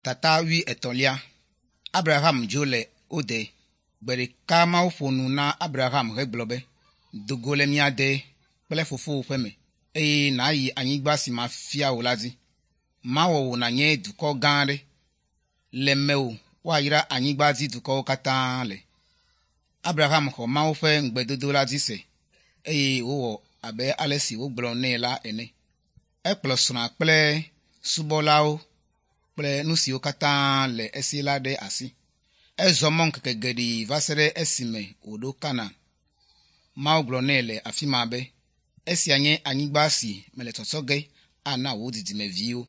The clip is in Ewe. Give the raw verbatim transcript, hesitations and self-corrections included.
Tata wuietɔ̃lia. Abraham dzo le wo de. Gbe ɖeka Mawu ƒo nu na Abraham hegblɔ be, “Do go le mia de kple fofowò ƒe me, eye nàyi anyigba si mafia wò la dzi. Mawɔ wò nànye dukɔ gã aɖe. Le mewò woayra anyigba dzi dukɔwo katã le.” Abraham xɔ Mawu ƒe ŋugbedodo la dzi se eye wòwɔ abe ale si wògblɔ nɛ la ene. Ekplɔ srɔ̃a kple subɔlawo kple nu siwo katã le esi la ɖe asi. Ezɔ mɔ ŋkeke geɖe va se ɖe esime wòɖo Kanaan. Mawu gblɔ nɛ le afi ma be, “Esia nye anyigba si mele tsɔtsɔ ge ana wò dzidzimeviwo.”